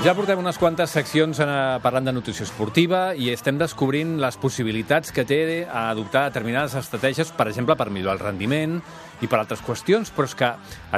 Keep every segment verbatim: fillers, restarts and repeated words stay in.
Ja portem unes quantes seccions parlant de nutrició esportiva i estem descobrint les possibilitats que té a adoptar determinades estratègies, per exemple, per millorar el rendiment i per altres qüestions, però és que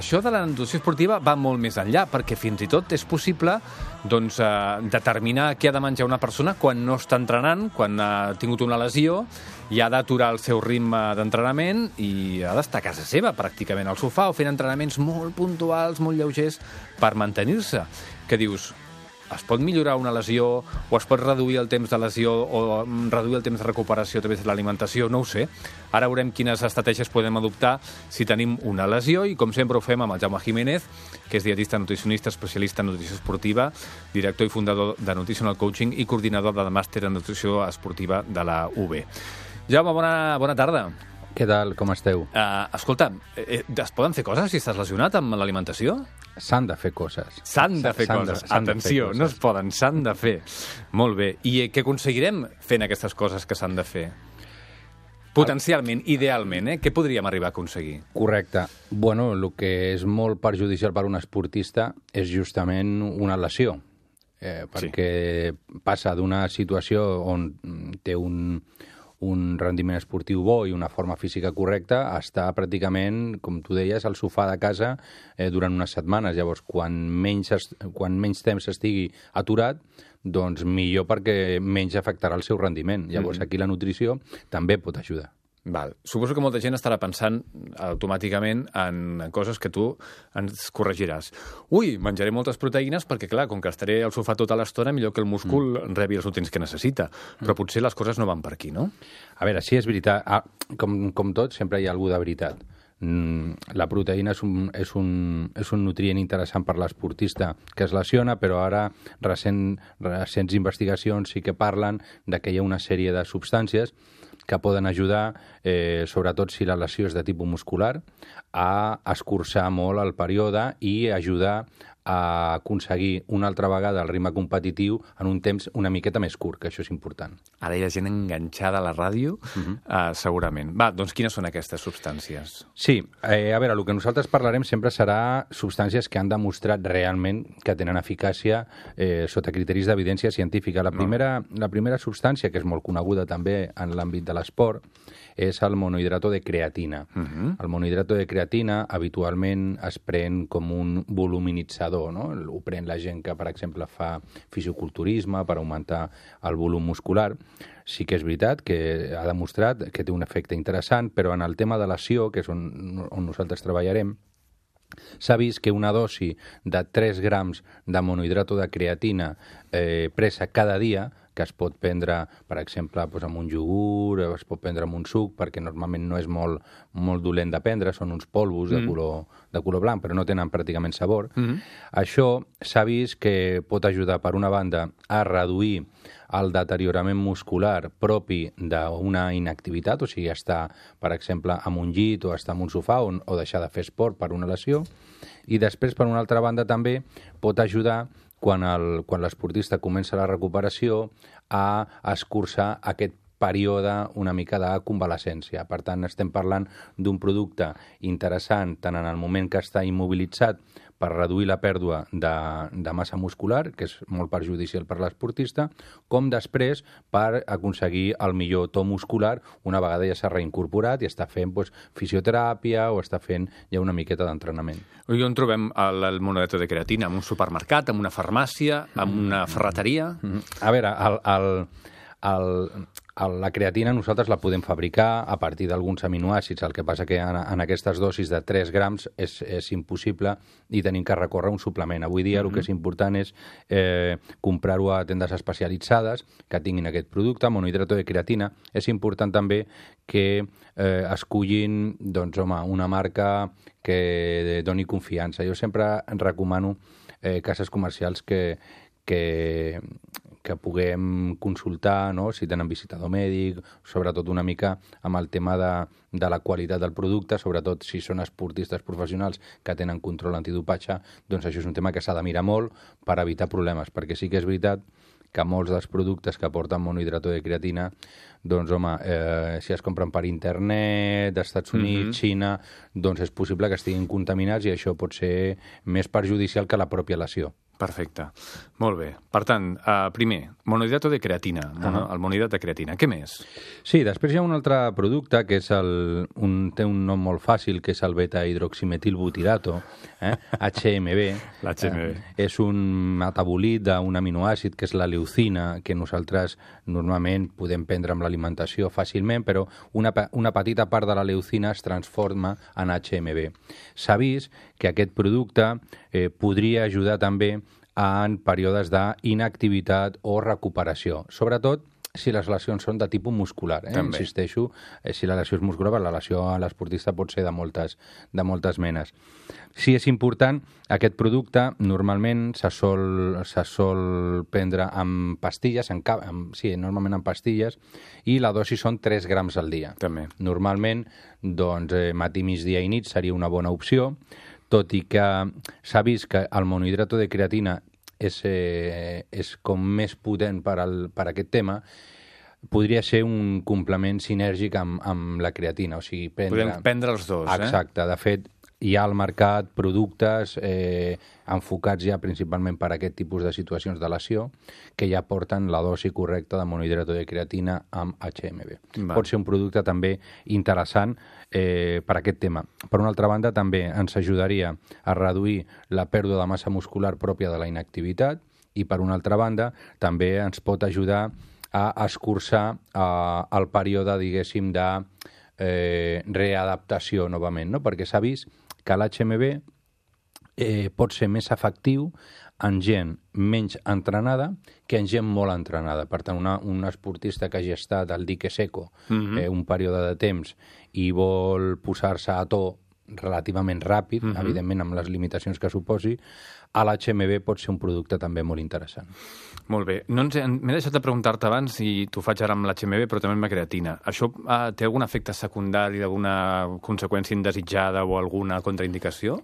això de la nutrició esportiva va molt més enllà, perquè fins i tot és possible doncs, eh, determinar què ha de menjar una persona quan no està entrenant, quan ha tingut una lesió i ha d'aturar el seu ritme d'entrenament i ha d'estar a casa seva, pràcticament al sofà, o fent entrenaments molt puntuals, molt lleugers, per mantenir-se. Que dius, es pot millorar una lesió o es pot reduir el temps de lesió o reduir el temps de recuperació a través de l'alimentació? No ho sé. Ara veurem quines estratègies podem adoptar si tenim una lesió i, com sempre, ho fem amb el Jaume Jiménez, que és dietista nutricionista, especialista en nutrició esportiva, director i fundador de Nutritional Coaching i coordinador del màster en nutrició esportiva de la U B. Jaume, bona, bona tarda. Què tal? Com esteu? Uh, escolta, eh, es poden fer coses si estàs lesionat amb l'alimentació? S'han de fer coses. S'han de fer coses. Atenció, no es poden, s'han de fer. Molt bé. I què aconseguirem fent aquestes coses que s'han de fer? Potencialment, idealment, eh? Què podríem arribar a aconseguir? Correcte. Bueno, el que és molt perjudicial per a un esportista és justament una lesió, eh, perquè sí. Passa d'una situació on té un... un rendiment esportiu bo i una forma física correcta, està pràcticament, com tu deies, al sofà de casa eh, durant unes setmanes. Llavors, quan menys, quan menys temps estigui aturat, doncs millor perquè menys afectarà el seu rendiment. Llavors, mm-hmm. aquí la nutrició també pot ajudar. Val. Suposo que molta gent estarà pensant automàticament en coses que tu ens corregiràs. Ui, menjaré moltes proteïnes perquè, clar, com que estaré al sofà tota l'estona, millor que el múscul mm. rebi els nutrients que necessita. Però potser les coses no van per aquí, no? A veure, sí, és veritat. Ah, com, com tot, sempre hi ha algú de veritat. Mm, la proteïna és un, és, un, és un nutrient interessant per l'esportista que es lesiona, però ara recent, recents investigacions sí que parlen de que hi ha una sèrie de substàncies que poden ajudar, eh, sobretot si la lesió és de tipus muscular, a escurçar molt el període i ajudar a aconseguir una altra vegada el ritme competitiu en un temps una miqueta més curt, que això és important. Ara hi ha gent enganxada a la ràdio, uh-huh. uh, segurament. Va, doncs quines són aquestes substàncies? Sí, eh, a veure, el que nosaltres parlarem sempre serà substàncies que han demostrat realment que tenen eficàcia eh, sota criteris d'evidència científica. La primera, no. la primera substància, que és molt coneguda també en l'àmbit de l'esport, és el monohidrato de creatina. Uh-huh. El monohidrato de creatina habitualment es pren com un voluminitzador, no? Ho pren la gent que, per exemple, fa fisioculturisme per augmentar el volum muscular. Sí que és veritat que ha demostrat que té un efecte interessant, però en el tema de lesió, que és on, on nosaltres treballarem, s'ha vist que una dosi de tres grams de monohidrato de creatina eh, presa cada dia, que es pot prendre, per exemple, doncs amb un iogurt, es pot prendre amb un suc, perquè normalment no és molt, molt dolent de prendre, són uns polvos mm. de, color, de color blanc, però no tenen pràcticament sabor. Mm. Això s'ha vist que pot ajudar, per una banda, a reduir el deteriorament muscular propi d'una inactivitat, o sigui, estar, per exemple, en un llit o estar en un sofà o, o deixar de fer esport per una lesió. I després, per una altra banda, també pot ajudar quan el, quan l'esportista comença la recuperació a escurçar aquest període una mica de convalescència. Per tant, estem parlant d'un producte interessant tant en el moment que està immobilitzat per reduir la pèrdua de, de massa muscular, que és molt perjudicial per l'esportista, com després per aconseguir el millor to muscular una vegada ja s'ha reincorporat i està fent doncs, fisioteràpia o està fent ja una miqueta d'entrenament. I on trobem el, el monohidrato de creatina? En un supermercat, en una farmàcia, en una ferreteria? A veure, el... el El, el, la creatina nosaltres la podem fabricar a partir d'alguns aminoàcids, el que passa que en, en aquestes dosis de tres grams és, és impossible i tenim que recórrer un suplement. Avui dia mm-hmm. el que és important és eh, comprar-ho a tendes especialitzades que tinguin aquest producte, monohidrato de creatina. És important també que eh, escollin doncs, home, una marca que doni confiança. Jo sempre recomano eh, cases comercials que, que que puguem consultar, no?, si tenen visitador mèdic, sobretot una mica amb el tema de, de la qualitat del producte, sobretot si són esportistes professionals que tenen control antidopatge, doncs això és un tema que s'ha de mirar molt per evitar problemes, perquè sí que és veritat que molts dels productes que porten monohidrato de creatina, doncs, home, eh, si es compren per internet, d'Estats Units, mm-hmm. Xina, doncs és possible que estiguin contaminats i això pot ser més perjudicial que la pròpia lesió. Perfecte. Molt bé. Per tant, uh, primer, monohidrato de creatina, mono, uh-huh. el monohidrat de creatina. Què més? Sí, després hi ha un altre producte que és el, un, té un nom molt fàcil, que és el beta-hidroximetilbutirato, eh? H M B. L'H M B. Eh, és un metabolit d'un aminoàcid que és la leucina, que nosaltres normalment podem prendre amb l'alimentació fàcilment, però una, una petita part de la leucina es transforma en H M B. S'ha vist que aquest producte eh, podria ajudar també en períodes d'inactivitat o recuperació, sobretot si les lesions són de tipus muscular. Eh? Insisteixo, eh, si la lesió és muscular, la lesió a l'esportista pot ser de moltes, de moltes menes. Si és important, aquest producte normalment se sol, se sol prendre amb pastilles, en cap, amb, sí, normalment amb pastilles, i la dosi són tres grams al dia. També. Normalment, doncs, eh, matí, migdia i nit seria una bona opció, tot i que s'ha vist que el monohidrato de creatina és, eh, és com més potent per, al, per aquest tema, podria ser un complement sinèrgic amb, amb la creatina. O sigui, prendre... Podem prendre els dos, eh? Exacte. De fet, hi ha al mercat productes eh, enfocats ja principalment per a aquest tipus de situacions de lesió que ja porten la dosi correcta de monohidrato de creatina amb H M B. Va. Pot ser un producte també interessant eh, per a aquest tema. Per una altra banda, també ens ajudaria a reduir la pèrdua de massa muscular pròpia de la inactivitat i, per una altra banda, també ens pot ajudar a escurçar eh, el període, diguéssim, de eh, readaptació novament, no? Perquè s'ha vist que l'H M B eh, pot ser més efectiu en gent menys entrenada que en gent molt entrenada. Per tant, una, un esportista que hagi estat al dique seco mm-hmm. eh, un període de temps i vol posar-se a to relativament ràpid, mm-hmm. evidentment amb les limitacions que suposi, a l'H M B pot ser un producte també molt interessant. Molt bé. No ens he, m'he deixat de preguntar-te abans i t'ho faig ara amb l'H M B, però també amb la creatina. Això eh, té algun efecte secundari, alguna conseqüència indesitjada o alguna contraindicació?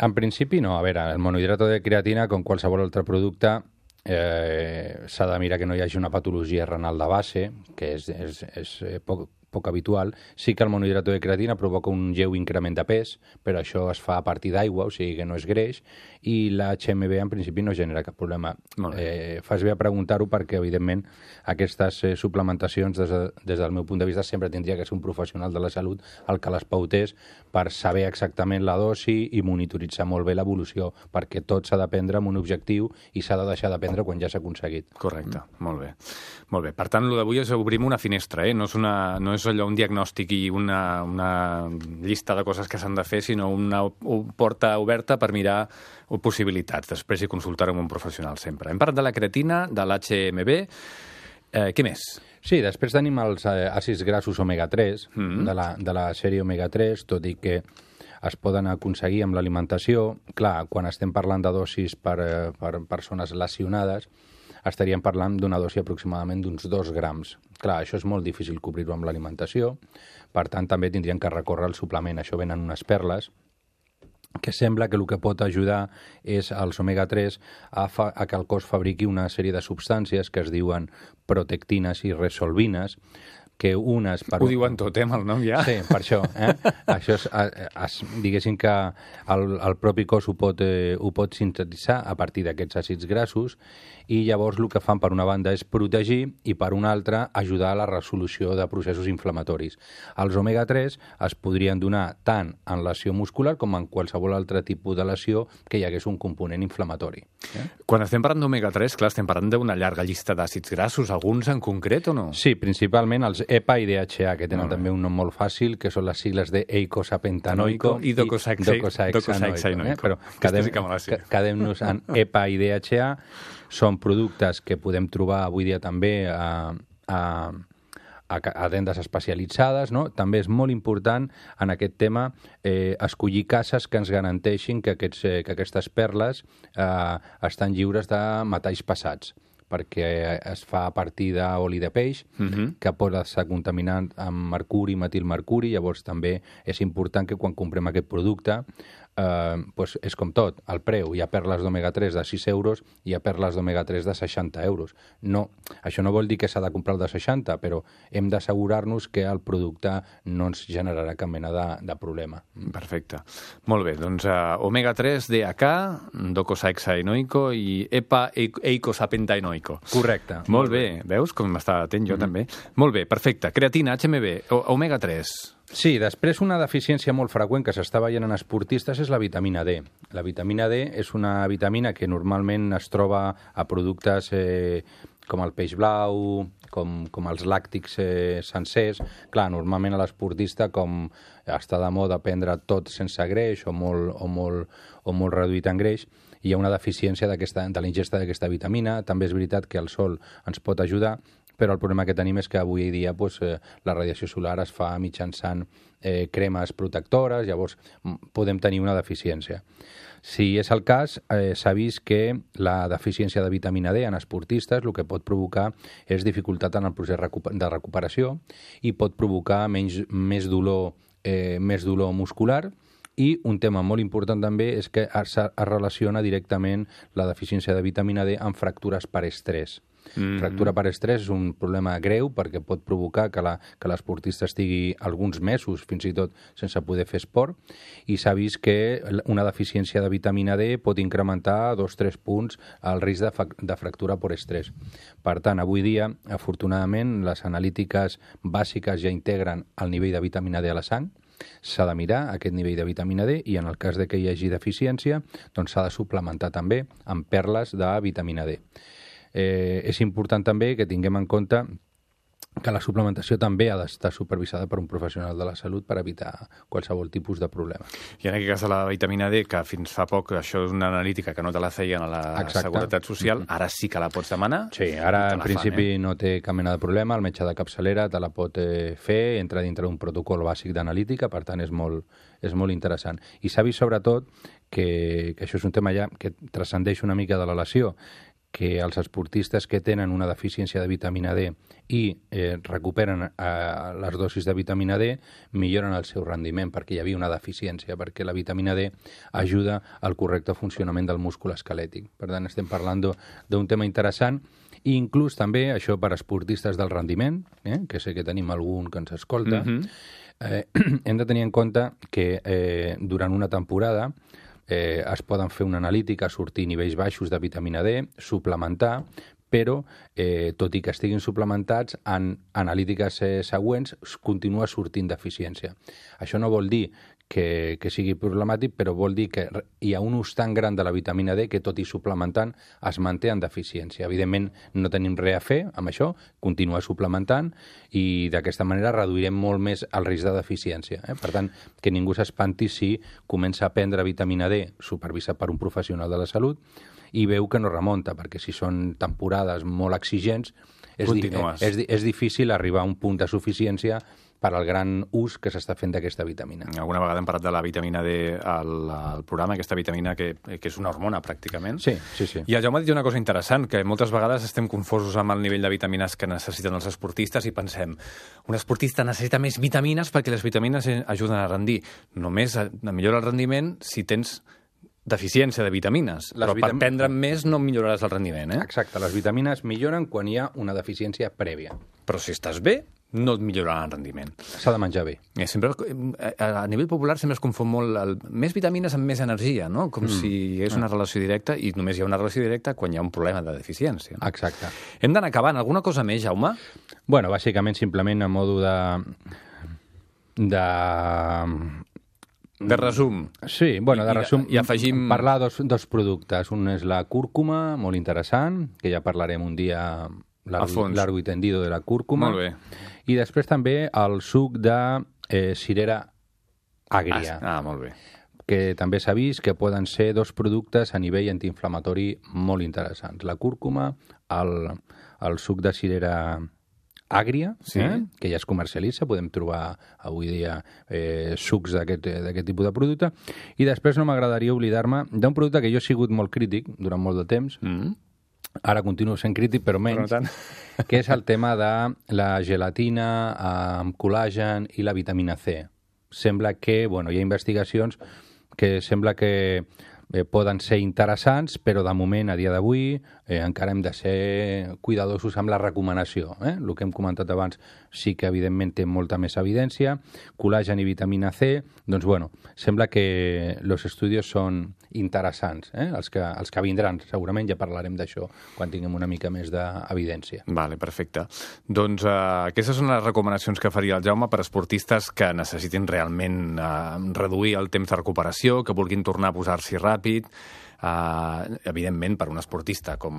En principi no. A veure, el monohidrato de creatina, com qualsevol altre producte, eh, s'ha de mirar que no hi hagi una patologia renal de base, que és, és, és poc, poc habitual. Sí que el monohidrato de creatina provoca un lleu increment de pes, però això es fa a partir d'aigua, o sigui que no és greix, i l'H M B en principi no genera cap problema. Eh, fas bé a preguntar-ho perquè, evidentment, aquestes eh, suplementacions, des, de, des del meu punt de vista, sempre tindria que ser un professional de la salut el que les pautés per saber exactament la dosi i monitoritzar molt bé l'evolució, perquè tot s'ha de prendre amb un objectiu i s'ha de deixar de prendre quan ja s'ha aconseguit. Correcte, mm. molt bé. Molt bé. Per tant, el d'avui és obrim una finestra, eh? No és, una, no és allò un diagnòstic i una, una llista de coses que s'han de fer, sinó una, una porta oberta per mirar possibilitats. Després hi consultar amb un professional sempre. Hem parlat de la creatina, de l'H M B. Eh, què més? Sí, després tenim els eh, àcids grassos omega tres, mm-hmm. de, la, de la sèrie omega tres, tot i que es poden aconseguir amb l'alimentació. Clar, quan estem parlant de dosis per, per persones lesionades, estaríem parlant d'una dosi aproximadament d'uns dos grams. Clar, això és molt difícil cobrir-ho amb l'alimentació, per tant també tindrien que recórrer al suplement. Això venen unes perles, que sembla que el que pot ajudar és els omega tres a, fa, a que el cos fabriqui una sèrie de substàncies que es diuen protectines i resolvines, que unes... Per... Ho diuen tot, eh, amb el nom ja. Sí, per això. Eh? Això és, es, diguéssim que el, el propi cos ho pot, eh, ho pot sintetitzar a partir d'aquests àcids grassos i llavors el que fan per una banda és protegir i per una altra ajudar a la resolució de processos inflamatoris. Els omega tres es podrien donar tant en lesió muscular com en qualsevol altre tipus de lesió que hi hagués un component inflamatori. Eh? Quan estem parlant d'omega tres, clar, estem parlant d'una llarga llista d'àcids grassos, alguns en concret o no? Sí, principalment els E P A i D H A, que tenen no, també un nom molt fàcil, que són les sigles de eicosapentanoico i docosahexaenoico. Eh? Però quedem-nos quedem en E P A i D H A. Són productes que podem trobar avui dia també a, a, a, a tendes especialitzades, no? També és molt important en aquest tema eh, escollir cases que ens garanteixin que, aquests, eh, que aquestes perles eh, estan lliures de metalls pesats, perquè es fa a partir d'oli de peix, uh-huh. que pot estar contaminat amb mercuri, metilmercuri, llavors també és important que quan comprem aquest producte eh, pues és com tot, el preu. Hi ha perles d'omega tres de sis euros i hi ha perles d'omega tres de seixanta euros. No, això no vol dir que s'ha de comprar el de seixanta, però hem d'assegurar-nos que el producte no ens generarà cap mena de, de problema. Perfecte. Molt bé, doncs uh, omega tres, D H K, docosahexaenoico i epa-eicosapentaenoico. Correcte. Molt, Molt bé. bé, veus com m'estava atent jo mm. també? Molt bé, perfecte. Creatina, H M B, omega tres. Sí, després una deficiència molt freqüent que s'està veient en esportistes és la vitamina D. La vitamina D és una vitamina que normalment es troba a productes eh, com el peix blau, com, com els làctics eh, sencers. Clar, normalment a l'esportista, com està de moda prendre tot sense greix o molt, o molt, o molt reduït en greix, hi ha una deficiència de la ingesta d'aquesta vitamina. També és veritat que el sol ens pot ajudar, però el problema que tenim és que avui dia pues, eh, la radiació solar es fa mitjançant eh, cremes protectores, llavors podem tenir una deficiència. Si és el cas, eh, s'ha vist que la deficiència de vitamina D en esportistes el que pot provocar és dificultat en el procés de recuperació i pot provocar menys, més, dolor, eh, més dolor muscular. I un tema molt important també és que es, es relaciona directament la deficiència de vitamina D amb fractures per estrès. Mm-hmm. Fractura per estrès és un problema greu perquè pot provocar que la, que l'esportista estigui alguns mesos fins i tot sense poder fer esport, i s'ha vist que una deficiència de vitamina D pot incrementar dos o tres punts el risc de, de fractura per estrès. Per tant, avui dia, afortunadament, les analítiques bàsiques ja integren el nivell de vitamina D a la sang. S'ha de mirar aquest nivell de vitamina D i en el cas de que hi hagi deficiència doncs s'ha de suplementar també amb perles de vitamina D. Eh, és important també que tinguem en compte que la suplementació també ha d'estar supervisada per un professional de la salut per evitar qualsevol tipus de problema. I en aquest cas de la vitamina D, que fins fa poc això és una analítica que no te la feien a la Exacte. Seguretat Social, ara sí que la pots demanar? Sí, ara en principi fan, eh? no té cap mena de problema, el metge de capçalera te la pot eh, fer, entra dintre d'un protocol bàsic d'analítica, per tant és molt, és molt interessant. I s'ha vist sobretot que, que això és un tema ja que transcendeix una mica de la lesió, que els esportistes que tenen una deficiència de vitamina D i eh, recuperen eh, les dosis de vitamina D milloren el seu rendiment perquè hi havia una deficiència, perquè la vitamina D ajuda al correcte funcionament del múscul esquelètic. Per tant, estem parlant d'un tema interessant i inclús també això per esportistes del rendiment, eh, que sé que tenim algun que ens escolta, mm-hmm. eh, hem de tenir en compte que eh, durant una temporada Eh, es poden fer una analítica, sortir nivells baixos de vitamina D, suplementar, però, eh, tot i que estiguin suplementats, en analítiques eh, següents continua sortint deficiència. Això no vol dir que, que sigui problemàtic, però vol dir que hi ha un ús tan gran de la vitamina D que, tot i suplementant, es manté en deficiència. Evidentment, no tenim res a fer amb això, continuar suplementant i d'aquesta manera reduirem molt més el risc de deficiència. Eh? Per tant, que ningú s'espanti si comença a prendre vitamina D supervisat per un professional de la salut i veu que no remunta, perquè si són temporades molt exigents, és, di és, és difícil arribar a un punt de suficiència per al gran ús que s'està fent d'aquesta vitamina. Alguna vegada hem parlat de la vitamina D al, al programa, aquesta vitamina que, que és una hormona, pràcticament. Sí, sí, sí. I el Jaume ha dit una cosa interessant, que moltes vegades estem confosos amb el nivell de vitamines que necessiten els esportistes i pensem, un esportista necessita més vitamines perquè les vitamines ajuden a rendir. Només millora el rendiment si tens deficiència de vitamines, les però vitam... per prendre més no milloraràs el rendiment, eh? Exacte, les vitamines milloren quan hi ha una deficiència prèvia. Però si estàs bé, no et millorarà el rendiment. S'ha de menjar bé. Eh, sempre, a nivell popular sempre es confon molt el, més vitamines amb més energia, no? Com mm. si hi hagués una relació directa i només hi ha una relació directa quan hi ha un problema de deficiència. No? Exacte. Hem d'anar acabant. Alguna cosa més, Jaume? Bueno, bàsicament, simplement a modo de... de... De resum. Sí, bueno, de resum. I, i afegim... Parlar dos, dos productes. Un és la cúrcuma, molt interessant, que ja parlarem un dia largo i tendido de la cúrcuma. Molt bé. I després també el suc de eh, cirera àgria. Ah, ah, molt bé. Que també s'ha vist que poden ser dos productes a nivell antiinflamatori molt interessants. La cúrcuma, el, el suc de cirera àgria, sí. eh? Que ja es comercialitza, podem trobar avui dia eh, sucs d'aquest tipus de producte. I després no m'agradaria oblidar-me d'un producte que jo he sigut molt crític durant molt de temps, mm. ara continuo sent crític, però menys, però no que és el tema de la gelatina amb col·làgen i la vitamina C. Sembla que, bueno, hi ha investigacions que sembla que eh, poden ser interessants, però de moment, a dia d'avui, eh, encara hem de ser cuidadosos amb la recomanació. Eh? El que hem comentat abans sí que, evidentment, té molta més evidència. Col·làgen i vitamina C, doncs, bueno, sembla que els estudis són interessants, eh? els, que, els que vindran. Segurament ja parlarem d'això quan tinguem una mica més d'evidència. Vale, perfecte. Doncs eh, aquestes són les recomanacions que faria el Jaume per a esportistes que necessitin realment eh, reduir el temps de recuperació, que vulguin tornar a posar-s'hi ràpid. Uh, evidentment, per un esportista com,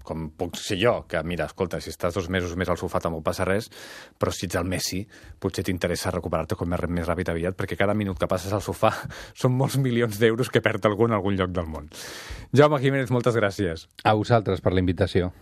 com puc ser jo, que mira, escolta, si estàs dos mesos més al sofà tampoc passa res, però si ets el Messi potser t'interessa recuperar-te com més, més ràpid aviat, perquè cada minut que passes al sofà són molts milions d'euros que perd algú en algun lloc del món. Jaume Jiménez, moltes gràcies. A vosaltres per la invitació.